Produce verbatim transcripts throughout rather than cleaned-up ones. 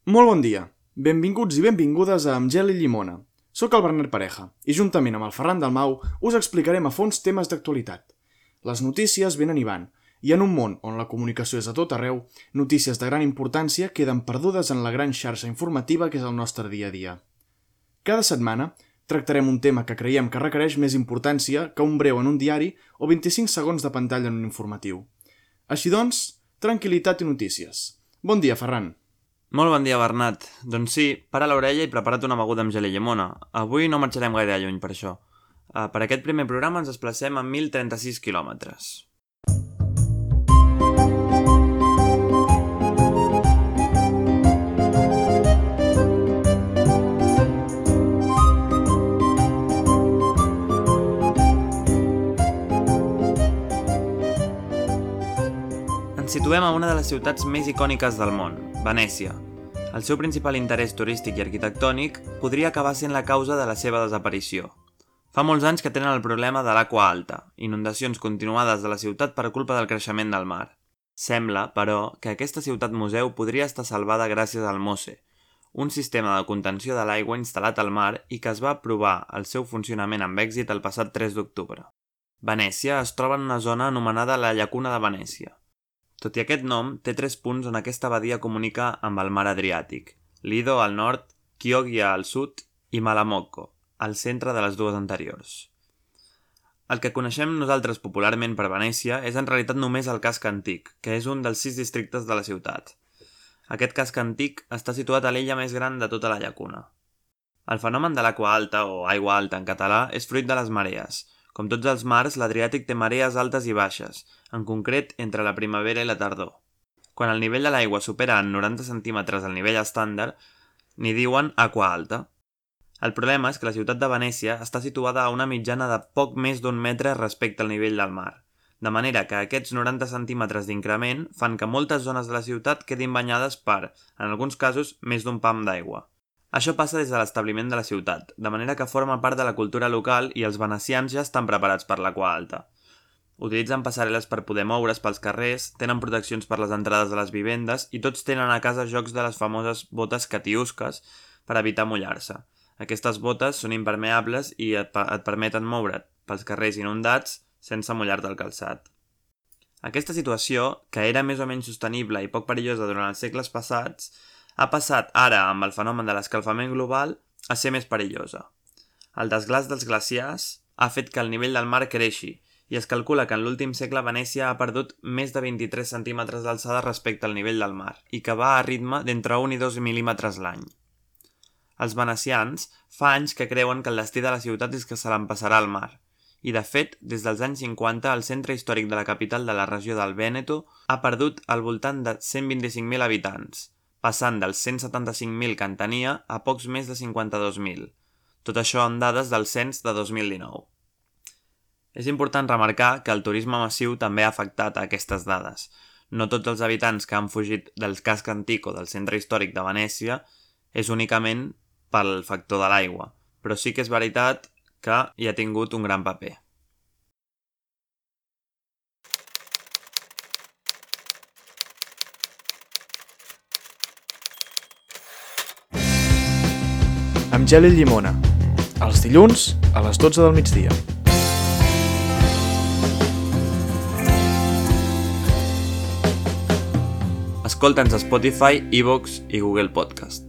Molt bon dia. Benvinguts i benvingudes a Amb gel i llimona. Soc el Bernat Pareja i juntament amb el Ferran Dalmau us explicarem a fons temes d'actualitat. Les notícies venen i van, i en un món on la comunicació és a tot arreu, notícies de gran importància queden perdudes en la gran xarxa informativa que és el nostre dia a dia. Cada setmana tractarem un tema que creiem que requereix més importància que un breu en un diari o vint-i-cinc segons de pantalla en un informatiu. Així doncs, tranquil·litat i notícies. Bon dia, Ferran. Molt bon dia, Bernat. Doncs sí, para l'orella i prepara't una beguda amb gel i llimona. Avui no marxarem gaire lluny per això. Uh, per aquest primer programa ens desplacem a mil trenta-sis quilòmetres. Ens situem a una de les ciutats més icòniques del món, Venècia. El seu principal interès turístic i arquitectònic podria acabar sent la causa de la seva desaparició. Fa molts anys que tenen el problema de l'aigua alta, inundacions continuades de la ciutat per culpa del creixement del mar. Sembla, però, que aquesta ciutat museu podria estar salvada gràcies al MOSE, un sistema de contenció de l'aigua instal·lat al mar i que es va provar el seu funcionament amb èxit el passat tres d'octubre. Venècia es troba en una zona anomenada la Llacuna de Venècia. Tot i aquest nom, té tres punts on aquesta badia comunica amb el mar Adriàtic, Lido al nord, Chioggia al sud i Malamocco, al centre de les dues anteriors. El que coneixem nosaltres popularment per Venècia és en realitat només el casc antic, que és un dels sis districtes de la ciutat. Aquest casc antic està situat a l'illa més gran de tota la llacuna. El fenomen de l'aigua alta, o aigua alta en català, és fruit de les marees. Com tots els mars, l'Adriàtic té marees altes i baixes, en concret entre la primavera i la tardor. Quan el nivell de l'aigua supera en noranta centímetres el nivell estàndard, n'hi diuen aqua alta. El problema és que la ciutat de Venècia està situada a una mitjana de poc més d'un metre respecte al nivell del mar, de manera que aquests noranta centímetres d'increment fan que moltes zones de la ciutat quedin banyades per, en alguns casos, més d'un pam d'aigua. Això passa des de l'establiment de la ciutat, de manera que forma part de la cultura local i els venecians ja estan preparats per l'aigua alta. Utilitzen passarel·les per poder moure's pels carrers, tenen proteccions per les entrades de les vivendes i tots tenen a casa jocs de les famoses botes catiusques per evitar mullar-se. Aquestes botes són impermeables i et, et permeten moure't pels carrers inundats sense mullar-te el calçat. Aquesta situació, que era més o menys sostenible i poc perillosa durant els segles passats, ha passat ara, amb el fenomen de l'escalfament global, a ser més perillosa. El desglaç dels glaciars ha fet que el nivell del mar creixi i es calcula que en l'últim segle Venècia ha perdut més de vint-i-tres centímetres d'alçada respecte al nivell del mar i que va a ritme d'entre un i dos mil·límetres l'any. Els venecians fa anys que creuen que el destí de la ciutat és que se l'empassarà al mar i, de fet, des dels anys cinquanta el centre històric de la capital de la regió del Vèneto ha perdut al voltant de cent vint-i-cinc mil habitants, passant dels cent setanta-cinc mil que en tenia a pocs més de cinquanta-dos mil. Tot això en dades del cens de dos mil dinou. És important remarcar que el turisme massiu també ha afectat a aquestes dades. No tots els habitants que han fugit del casc antic o del centre històric de Venècia és únicament pel factor de l'aigua, però sí que és veritat que hi ha tingut un gran paper. Amb gel i llimona. Els dilluns a les dotze del migdia. Escolta'ns a Spotify, iVoox i Google Podcast.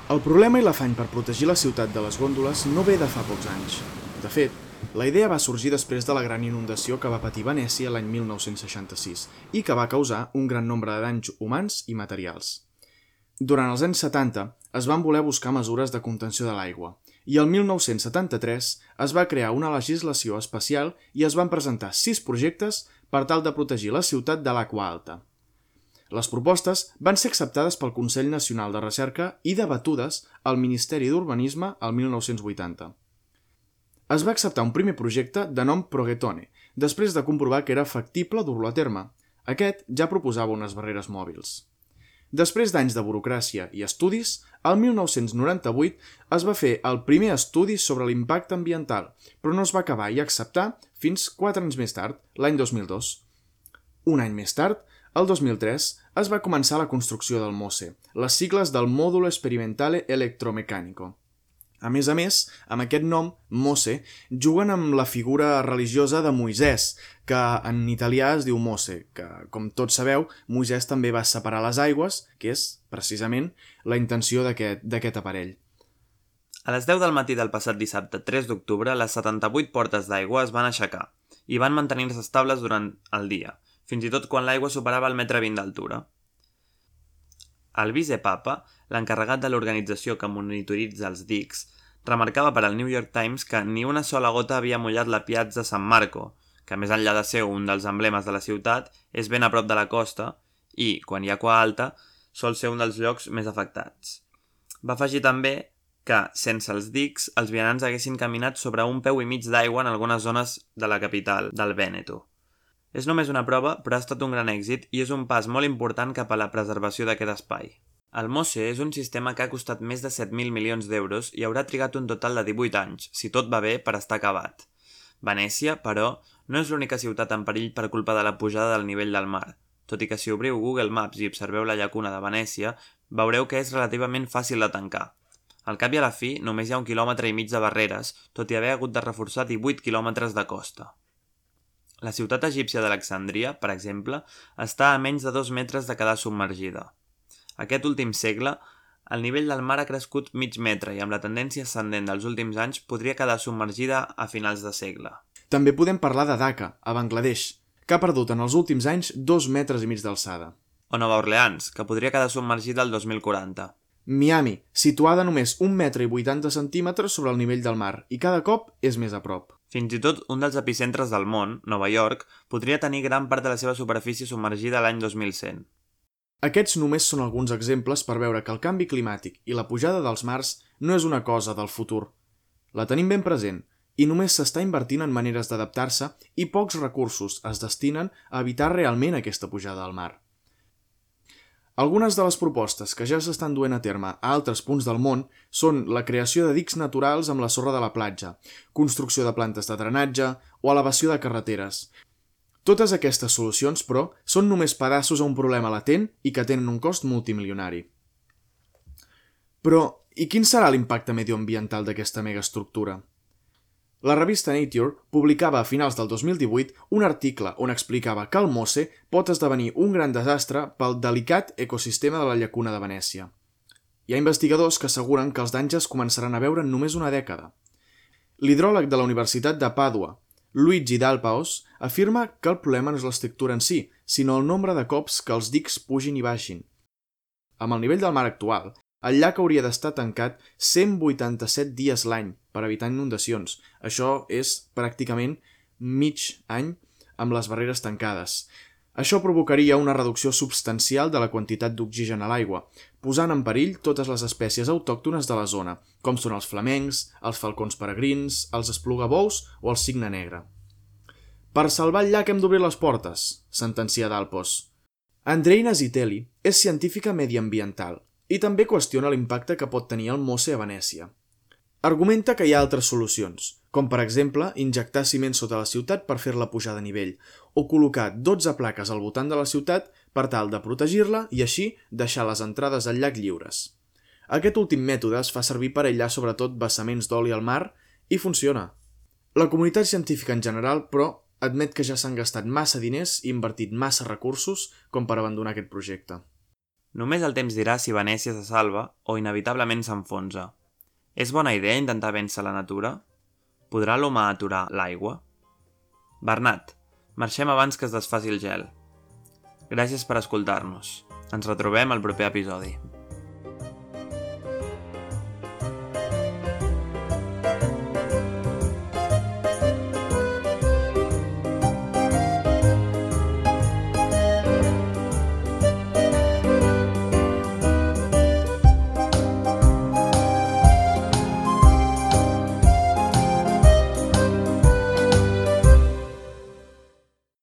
El problema i l'afany per protegir la ciutat de les gòndoles no ve de fa pocs anys. De fet, la idea va sorgir després de la gran inundació que va patir Venècia l'any mil nou-cents seixanta-sis i que va causar un gran nombre de danys humans i materials. Durant els anys setanta es van voler buscar mesures de contenció de l'aigua i el mil nou-cents setanta-tres es va crear una legislació especial i es van presentar sis projectes per tal de protegir la ciutat de l'aigua alta. Les propostes van ser acceptades pel Consell Nacional de Recerca i debatudes al Ministeri d'Urbanisme el mil nou-cents vuitanta. Es va acceptar un primer projecte de nom Progetone, després de comprovar que era factible dur-lo a terme. Aquest ja proposava unes barreres mòbils. Després d'anys de burocràcia i estudis, el mil nou-cents noranta-vuit es va fer el primer estudi sobre l'impacte ambiental, però no es va acabar i acceptar fins quatre anys més tard, l'any dos mil dos. Un any més tard, el dos mil tres, es va començar la construcció del MOSE, les sigles del Módulo Experimentale Electromecánico. A més a més, amb aquest nom, MOSE, juguen amb la figura religiosa de Moisès, que en italià es diu Mose, que, com tots sabeu, Moisès també va separar les aigües, que és, precisament, la intenció d'aquest aparell. A les deu del matí del passat dissabte tres d'octubre, les setanta-vuit portes d'aigua es van aixecar i van mantenir-se estables durant el dia, fins i tot quan l'aigua superava el metre vint d'altura. El vicepapa, l'encarregat de l'organització que monitoritza els dics, remarcava per al New York Times que ni una sola gota havia mullat la Piazza San Marco, que més enllà de ser un dels emblemes de la ciutat, és ben a prop de la costa i, quan hi ha aigua alta, sol ser un dels llocs més afectats. Va afegir també que, sense els dics, els vianants haguessin caminat sobre un peu i mig d'aigua en algunes zones de la capital, del Vèneto. És només una prova, però ha estat un gran èxit i és un pas molt important cap a la preservació d'aquest espai. El MOSE és un sistema que ha costat més de set mil milions d'euros i haurà trigat un total de divuit anys, si tot va bé, per estar acabat. Venècia, però, no és l'única ciutat en perill per culpa de la pujada del nivell del mar, tot i que si obriu Google Maps i observeu la llacuna de Venècia, veureu que és relativament fàcil de tancar. Al cap i a la fi, només hi ha un quilòmetre i mig de barreres, tot i haver hagut de reforçar divuit quilòmetres de costa. La ciutat egípcia d'Alexandria, per exemple, està a menys de dos metres de quedar submergida. Aquest últim segle, el nivell del mar ha crescut mig metre i amb la tendència ascendent dels últims anys podria quedar submergida a finals de segle. També podem parlar de Dhaka, a Bangladesh, que ha perdut en els últims anys dos metres i mig d'alçada. O Nova Orleans, que podria quedar submergida el dos mil quaranta. Miami, situada només un metre i vuitanta centímetres sobre el nivell del mar, i cada cop és més a prop. Fins i tot un dels epicentres del món, Nova York, podria tenir gran part de la seva superfície submergida l'any dos mil cent. Aquests només són alguns exemples per veure que el canvi climàtic i la pujada dels mars no és una cosa del futur. La tenim ben present i només s'està invertint en maneres d'adaptar-se i pocs recursos es destinen a evitar realment aquesta pujada al mar. Algunes de les propostes que ja s'estan duent a terme a altres punts del món són la creació de dics naturals amb la sorra de la platja, construcció de plantes de drenatge o elevació de carreteres. Totes aquestes solucions, però, són només pedaços a un problema latent i que tenen un cost multimilionari. Però, i quin serà l'impacte medioambiental d'aquesta megaestructura? La revista Nature publicava a finals del dos mil divuit un article on explicava que el MOSE pot esdevenir un gran desastre pel delicat ecosistema de la llacuna de Venècia. Hi ha investigadors que asseguren que els danys es començaran a veure en només una dècada. L'hidròleg de la Universitat de Pàdua, Luigi Dalpaos, afirma que el problema no és l'estructura en si, sinó el nombre de cops que els dics pugin i baixin. Amb el nivell del mar actual, el llac hauria d'estar tancat cent vuitanta-set dies l'any per evitar inundacions. Això és pràcticament mig any amb les barreres tancades. Això provocaria una reducció substancial de la quantitat d'oxigen a l'aigua, posant en perill totes les espècies autòctones de la zona, com són els flamencs, els falcons peregrins, els esplugabous o el cigne negre. Per salvar el llac hem d'obrir les portes, sentencia Dalpaos. Andreina Zitelli és científica mediambiental i també qüestiona l'impacte que pot tenir el MOSE a Venècia. Argumenta que hi ha altres solucions, com per exemple injectar ciment sota la ciutat per fer-la pujar de nivell, o col·locar dotze plaques al voltant de la ciutat per tal de protegir-la i així deixar les entrades al llac lliures. Aquest últim mètode es fa servir per aïllar sobretot vessaments d'oli al mar i funciona. La comunitat científica en general, però, admet que ja s'han gastat massa diners i invertit massa recursos com per abandonar aquest projecte. Només el temps dirà si Venècia se salva o inevitablement s'enfonsa. És bona idea intentar vèncer la natura? Podrà l'humà aturar l'aigua? Bernat, marxem abans que es desfaci el gel. Gràcies per escoltar-nos. Ens retrobem al proper episodi.